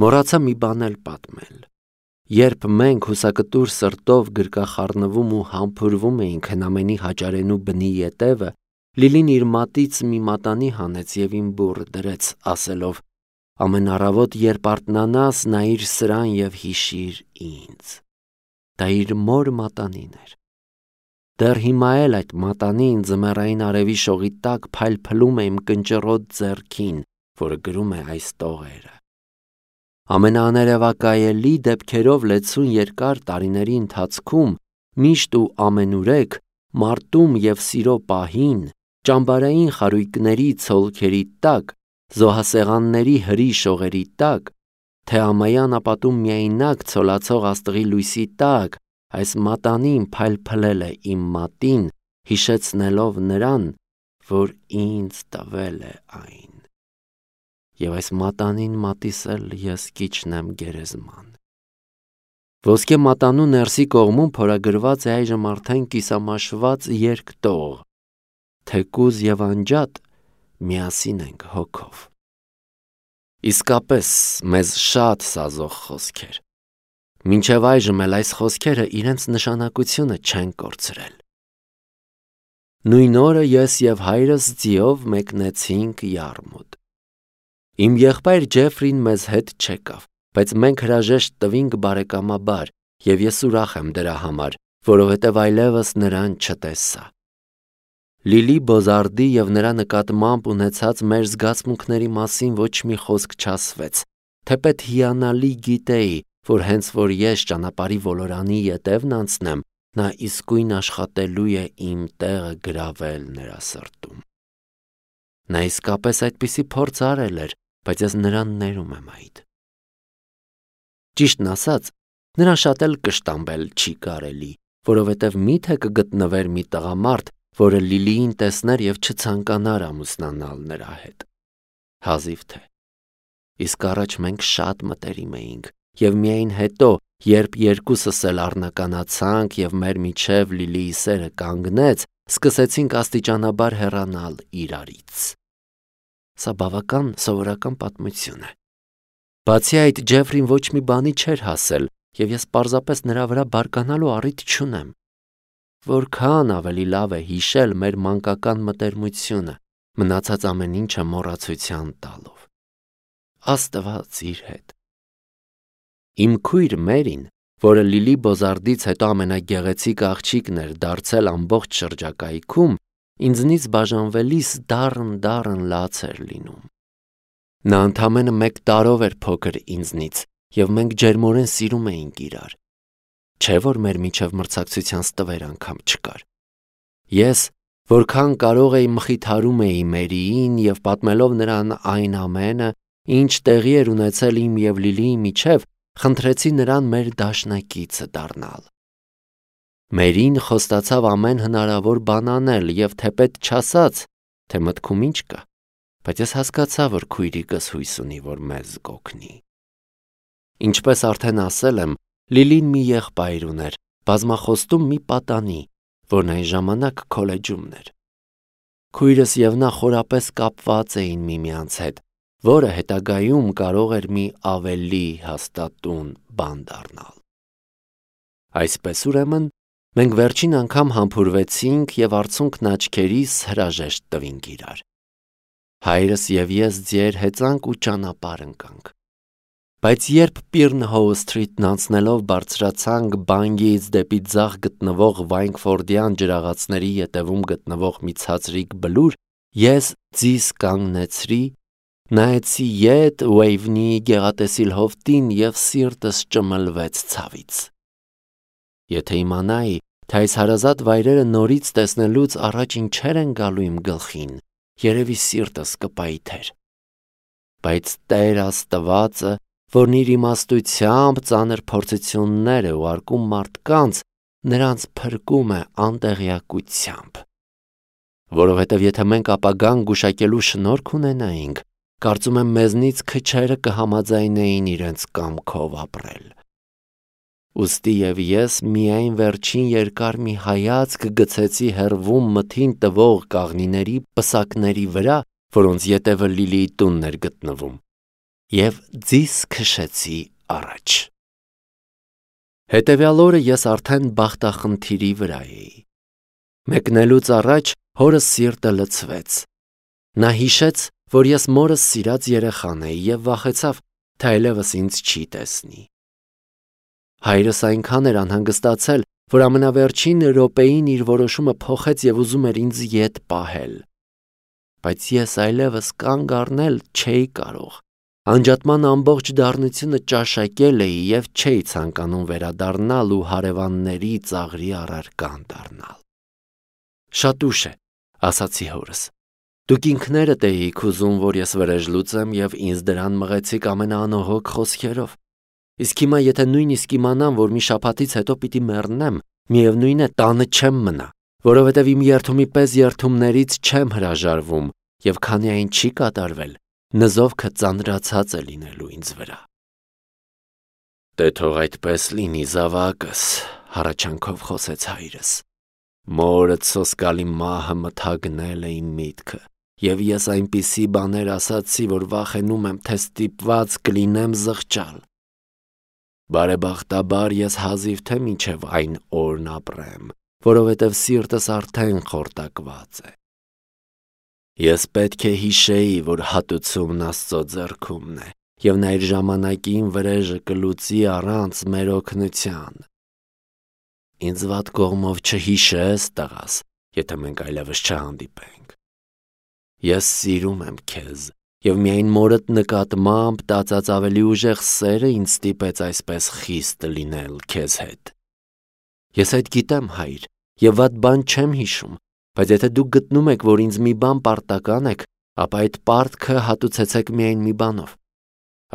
Մոռացա մի բան էլ պատմել։ Երբ մենք հուսակտուր սրտով գրկախառնվում ու համբուրվում էինք հնամենի հաճարենու բնի ետևը, Լիլին իր մատից մի մատանի հանեց և իմ բուռը դրեց, ասելով. «Ամեն առավոտ, երբ արթնանաս, նայիր սրան և հիշիր ինձ»։ Դա իր մոր մատանին էր։ Դեռ հիմա էլ այդ մատանին ձմեռային արևի շողի տակ փայլփլում է իմ կնճռոտ ձեռքին, որը գրում է այս տողերը։ Ամենաաներևակայելի դեպքերով լեցուն երկար տարիների ընթացքում միշտ ու ամենուրեք մարտում և սիրո պահին, ճամբարային խարույկների ցոլքերի տակ, զոհասեղանների հրի շողերի տակ, թե ամայան ապատում միայնակ ցոլացող աստղի լույսի տակ, այս մատանին փայլփլել է իմ մատին, հիշեցնելով նրան, որ ինձ տվել է այն։ Եվ այս մատանին մատիսել ես կիջնեմ գերեզման։ Ոսկե մատանու ներսի կողմում փորագրված է այժմ արդեն կիսամաշված երկտող. թեկուզ և անջատ միասին ենք հոգով։ Իսկապես մեզ շատ սազող խոսքեր։ Մինչև այժմ էլ այս խոսքերը իրենց նշանակությունը չեն կորցրել։ Նույն օրը ես և հայրս ձիով մեկնեցինք Յարմուտ։ Իմ եղբայր Ջեֆրին մեզ հետ չեկավ, բայց մենք հրաժեշտ տվինք բարեկամաբար, և ես ուրախ եմ դրա համար, որովհետև այլևս նրան չտեսա։ Լիլի Բոզարդի և նրա նկատմամբ ունեցած մեր զգացմունքների մասին ոչ մի խոսք չասվեց, թեպետ հիանալի գիտեի, որ հենց որ ես ճանապարհի ոլորանի ետևն անցնեմ, նա իսկույն աշխատելու է իմ տեղը գրավել նրա սրտում։ Նա իսկապես այդպիսի փորձ արել էր, բայց ես նրան ներում եմ այդ։ Ճիշտն ասած, նրան շատ էլ կշտամբել չի կարելի, որովհետև միթե կգտնվեր մի տղամարդ, որը Լիլիին տեսներ և չցանկանար ամուսնանալ նրա հետ։ Հազիվ թե։ Իսկ առաջ մենք շատ մտերիմ էինք, և միայն հետո, երբ երկուսս էլ առնականացանք և մեր միջև Լիլիի սերը կանգնեց, սկսեցինք աստիճանաբար հեռանալ իրարից։ Սա բավական սովորական պատմություն է։ Բացի այդ, Ջեֆրին ոչ մի բանի չէր հասել, և ես պարզապես նրա վրա բարկանալու առիթ չունեմ։ Որքան ավելի լավ է հիշել մեր մանկական մտերմությունը, մնացած ամեն ինչը մոռացության տալով։ Աստված իր հետ։ Իմ քույր Մերին, որը Լիլի Բոզարդից հետո ամենագեղեցիկ աղջիկն էր դարձել ամբողջ շրջակայքում, ինձնից բաժանվելիս դառն լաց էր լինում։ Նա ընդամենը 1 տարով էր փոքր ինձնից, և մենք ջերմորեն սիրում էինք իրար։ Չէ՞ որ մեր միջև մրցակցության ստվեր անգամ չկար։ Ես, որքան կարող էի մխիթարում էի Մերիին և պատմելով նրան այն ամենը, ինչ տեղի էր ունեցել իմ և Լիլիի միջև, խնդրեցի նրան մեր դաշնակիցը դառնալ։ Մերին խոստացավ ամեն հնարավոր բան անել և թեպետ չասաց, թե մտքում ինչ կա, բայց ես հասկացա, որ քույրիկս հույս ունի, որ մեզ կօգնի։ Ինչպես արդեն ասել եմ, Լիլին մի եղբայր ուներ, բազմախոստում մի պատանի, որն այն ժամանակ քոլեջումն էր։ Քույրս և նա խորապես կապված էին միմյանց հետ, որը հետագայում կարող էր մի ավելի հաստատուն բան դառնալ։ Այսպես ուրեմն, մենք վերջին անգամ համբուրվեցինք և արցունքն աչքերիս հրաժեշտ տվինք իրար։ Հայրս և ես ձիեր հեծանք ու ճանապարհ ընկանք։ Բայց երբ Պիրնհոու սթրիթն անցնելով բարձրացանք Բանգից դեպի ձախ գտնվող Վայնքֆորդյան ջրաղացների ետևում գտնվող մի ցածրիկ բլուր, ես ձիս կանգնեցրի, նայեցի ետ Ուեյվնիի գեղատեսիլ հովտին և սիրտս ճմլվեց ցավից։ Եթե իմանայի, թե այս հարազատ վայրերը նորից տեսնելուց առաջ ինչեր են գալու իմ գլխին, երևի սիրտս կպայթեր։ Բայց Տեր Աստվածը, որն իր իմաստությամբ ծանր փորձություններ է ուղարկում մարդկանց, նրանց փրկում է անտեղյակությամբ։ Որովհետև եթե մենք ապագան գուշակելու շնորհք ունենայինք, կարծում եմ մեզնից քչերը կհամաձայնեին իրենց կամքով ապրել։ Ուստի և ես միայն վերջին երկար մի հայացք գցեցի հեռվում մթին տվող կաղնիների պսակների վրա, որոնց ետևը Լիլիի տունն էր գտնվում, և ձիս քշեցի առաջ։ Հետևյալ օրը ես արդեն բախտախնդիրի վրա էի։ Մեկնելուց առաջ հորս սիրտը լցվեց։ Նա հիշեց, որ ես մորս սիրած երեխան էի և վախեցավ, թե այլևս ինձ չի տեսնի։ Հայրս այնքան էր անհանգստացել, որ ամենավերջին րոպեին իր որոշումը փոխեց և ուզում էր ինձ ետ պահել։ Բայց ես այլևս կանգ առնել չէի կարող։ Անջատման ամբողջ դառնությունը ճաշակել էի և չէի ցանկանում վերադառնալ ու հարևանների ծաղրի առարկան դառնալ։ «Շատ ուշ է», ասացի հորս։ «Դուք ինքներդ էիք ուզում, որ ես վրեժ լուծեմ և ինձ դրան մղեցիք ամենաանողոք խոսքերով։ Իսկ հիմա եթե նույնիսկ իմանամ, որ մի շաբաթից հետո պիտի մեռնեմ, միևնույն է, տանը չեմ մնա, որովհետև իմ երդումի պես երդումներից չեմ հրաժարվում, և քանի այն չի կատարվել, նզովքը ծանրացած է լինելու ինձ վրա»։ «Դե թող այդպես լինի, զավակս», հառաչանքով խոսեց հայրս։ «Մորդ սոսկալի մահը մթագնել է իմ միտքը, և ես այնպիսի բաներ ասացի, որ վախենում եմ, թե ստիպված կլինեմ զղջալ։ Բարեբախտաբար ես հազիվ թե մինչև այն օրն ապրեմ, որովհետև սիրտս արդեն խորտակված է։ Ես պետք է հիշեի, որ հատուցումն Աստծո ձեռքումն է, և նա իր ժամանակին վրեժը կլուծի առանց մեր օգնության։ Ինձ վատ կողմով չհիշես, տղաս, եթե մենք այլևս չհանդիպենք։ Ես սիրում եմ քեզ, և միայն մորդ նկատմամբ տածած ավելի ուժեղ սերը ինձ ստիպեց այսպես խիստ լինել քեզ հետ։ Ես այդ գիտեմ, հայր, և վատ բան չեմ հիշում, բայց եթե դուք գտնում եք, որ ինձ մի բան պարտական եք, ապա այդ պարտքը հատուցեցեք միայն մի բանով։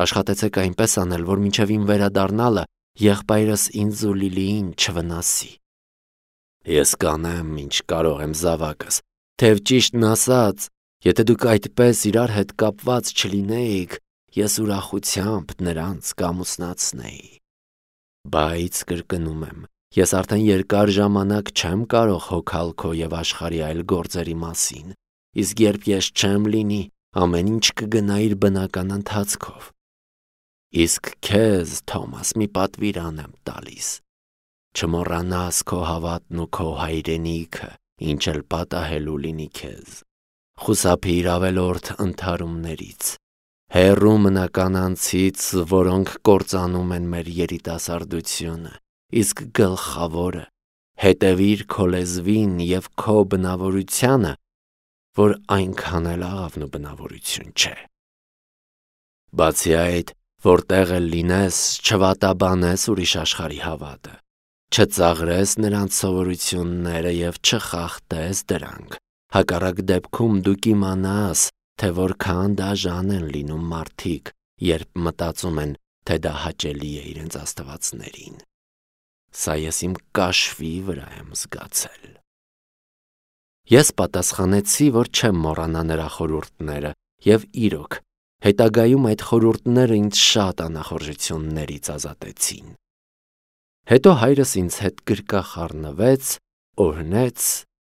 Աշխատեցեք այնպես անել, որ մինչև իմ վերադառնալը եղբայրս ինձ ու Լիլիին չվնասի։ Ես կանեմ, ինչ կարող եմ, զավակս, թեև ճիշտն ասած, եթե դուք այդպես իրար հետ կապված չլինեիք, ես ուրախությամբ նրանց կամուսնացնեի։ Բայց կրկնում եմ, ես արդեն երկար ժամանակ չեմ կարող հոգալ քո և աշխարհի այլ գործերի մասին, իսկ երբ ես չեմ լինի, ամեն ինչ կգնա իր բնական ընթացքով։ Իսկ քեզ, Թոմաս, մի պատվիրան եմ տալիս. չմոռանաս քո հավատն ու քո հայրենիքը, ինչ էլ պատահելու լինի քեզ։ Խուսափիր ավելորդ ընդհարումներից, հեռու մնա կանանցից, որոնք կործանում են մեր երիտասարդությունը, իսկ գլխավորը, հետևիր քո լեզվին և քո բնավորությանը, որ այնքան էլ աղավնու բնավորություն չէ։ Բացի այդ, որտեղ էլ լինես, չվատաբանես ուրիշ աշխարհի հավատը, չծաղրես նրանց սովորությունները և չխախտես դրանք, հակառակ դեպքում դու կիմանաս, թե որքան դաժան են լինում մարդիկ, երբ մտածում են, թե դա հաճելի է իրենց աստվածներին։ Սա ես իմ կաշվի վրա եմ զգացել։ Ես պատասխանեցի, որ չեմ մոռանա նրա խորհուրդները, և իրոք, հետագայում այդ խորհուրդները ինձ շատ անախորժություններից ազատեցին։ Հետո հայրս ինձ հետ գրկախառնվեց, օրհնեց,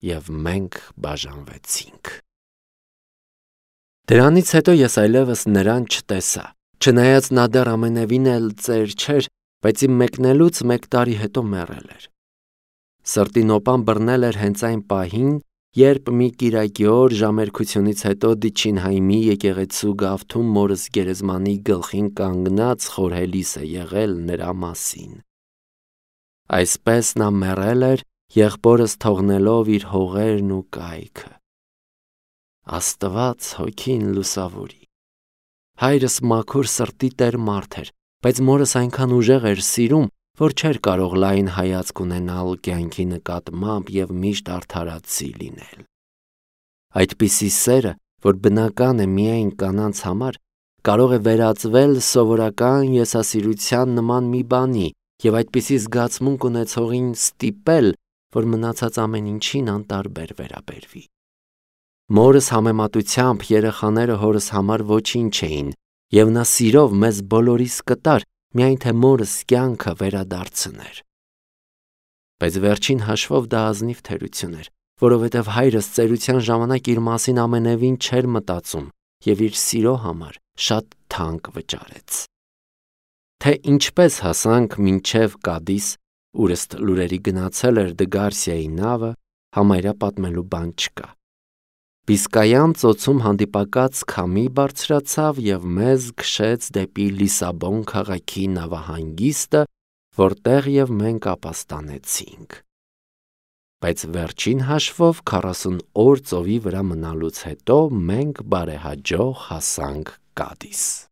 և մենք բաժանվեցինք։ Դրանից հետո ես այլևս նրան չտեսա, չնայած նա դեռ ամենևին էլ ծեր չէր, բայց իմ մեկնելուց 1 տարի հետո մեռել էր։ Սրտի նոպան բռնել էր հենց այն պահին, երբ մի կիրակի օր ժամերգությունից հետո Դիչինհայմի եկեղեցու գավթում մորս գերեզմանի գլխին կանգնած խորհելիս է եղել նրա մասին։ Այսպես նա մեռել էր, եղբորս թողնելով իր հողերն ու կայքը։ Աստված հոգին լուսավորի։ Հայրս մաքուր սրտի տեր մարդ էր, բայց մորս այնքան ուժեղ էր սիրում, որ չէր կարող լայն հայացք ունենալ կյանքի նկատմամբ և միշտ արդարացի լինել։ Այդպիսի սերը, որ բնական է միայն կանանց համար, կարող է վերածվել սովորական եսասիրության նման մի բանի և այդպիսի զգացմունք ունեցողին ստիպել, որ մնացած ամեն ինչին անտարբեր վերաբերվի։ Մորս համեմատությամբ երեխաները հորս համար ոչինչ էին, և նա սիրով մեզ բոլորիս կտար, միայն թե մորս կյանքը վերադարձներ։ Բայց վերջին հաշվով դա ազնիվ թերություն էր, որովհետև հայրս ծերության ժամանակ իր մասին ամենևին չէր մտածում և իր սիրո համար շատ թանկ վճարեց։ Թե ինչպես հասանք մինչև Կադիս, ուր ըստ լուրերի գնացել էր Դը Գարսիայի նավը, համարյա պատմելու բան չկա։ Բիսկայան ծոցում հանդիպակաց քամի բարձրացավ և մեզ քշեց դեպի Լիսաբոն քաղաքի նավահանգիստը, որտեղ և մենք ապաստանեցինք։ Բայց վերջին հաշվով 40 օր ծովի վրա մնալուց հետո մենք բարեհաջող հասանք Կադիս։